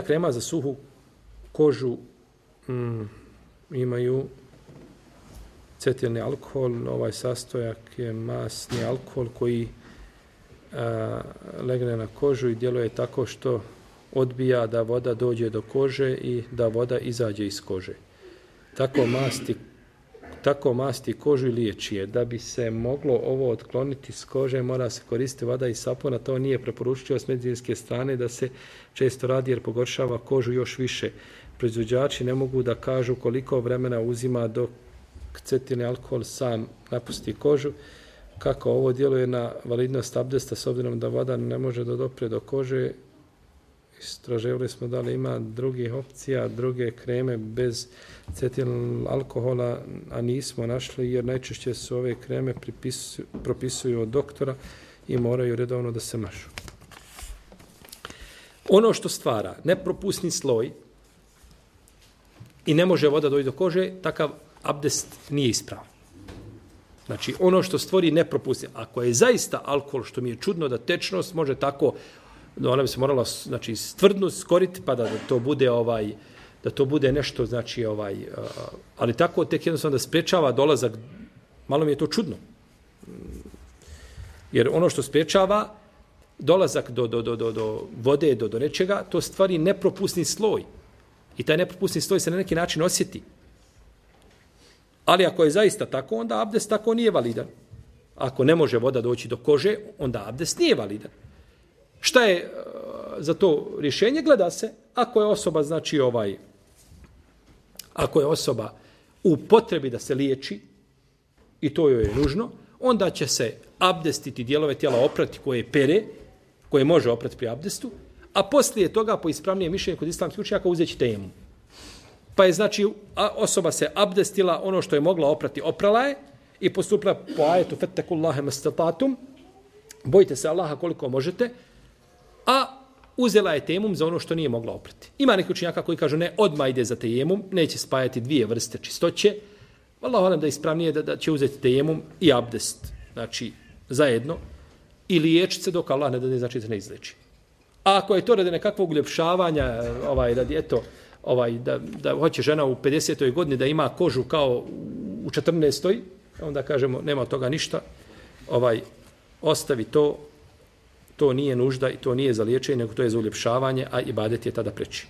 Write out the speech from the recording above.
Krema za suhu kožu imaju cetilni alkohol, ovaj sastojak je masni alkohol koji legne na kožu i djeluje tako što odbija da voda dođe do kože i da voda izađe iz kože. Tako masti kožu i liječi je. Da bi se moglo ovo otkloniti s kože, mora se koristiti voda i sapuna. To nije preporučio s medicinske strane da se često radi jer pogoršava kožu još više. Proizvođači ne mogu da kažu koliko vremena uzima dok cetilni alkohol sam napusti kožu. Kako ovo djeluje na validnost abdesta s obzirom da voda ne može da dopre do kože. Istraživali smo da li ima drugih opcija, druge kreme bez cetilnog alkohola, a nismo našli jer najčešće su ove kreme propisuju od doktora i moraju redovno da se mažu. Ono što stvara nepropusni sloj i ne može voda doći do kože, takav abdest nije ispravan. Znači, ono što stvori nepropusni, ako je zaista alkohol, što mi je čudno da tečnost može tako, ona bi se morala, znači, stvrdnost skoriti, pa da to bude da to bude nešto, znači, ali tako tek jednostavno da sprečava dolazak, malo mi je to čudno. Jer ono što sprečava dolazak do vode, do nečega, to stvari nepropusni sloj. I taj nepropusni sloj se na neki način osjeti. Ali ako je zaista tako, onda abdest tako nije validan. Ako ne može voda doći do kože, onda abdest nije validan. Šta je za to rješenje? Gleda se, ako je osoba, znači ako je osoba u potrebi da se liječi, i to joj je nužno, onda će se abdestiti dijelove tijela oprati koje pere, koje može oprati pri abdestu, a poslije toga, po ispravnijem mišljenju kod islamskih učenjaka, uzeći tejemum. Pa je, znači, osoba se abdestila, ono što je mogla oprati, oprala je i postupila po ajetu fettekullahe mastatatum, bojite se Allaha koliko možete, a uzela je tejemum za ono što nije mogla oprati. Ima neki učenjaka koji kažu ne, odmah ide za tejemum, neće spajati dvije vrste čistoće, Allahu alem da je ispravnije da će uzeti tejemum i abdest, znači zajedno, i liječiti se dok Allah ne da znači se ne izleči. A ako je to radi nekakvog uljepšavanja, radi da hoće žena u 50. godini da ima kožu kao u 14. onda kažemo nema od toga ništa, ostavi to nije nužda i to nije za liječenje, nego to je za uljepšavanje, a ibadet je tada preči.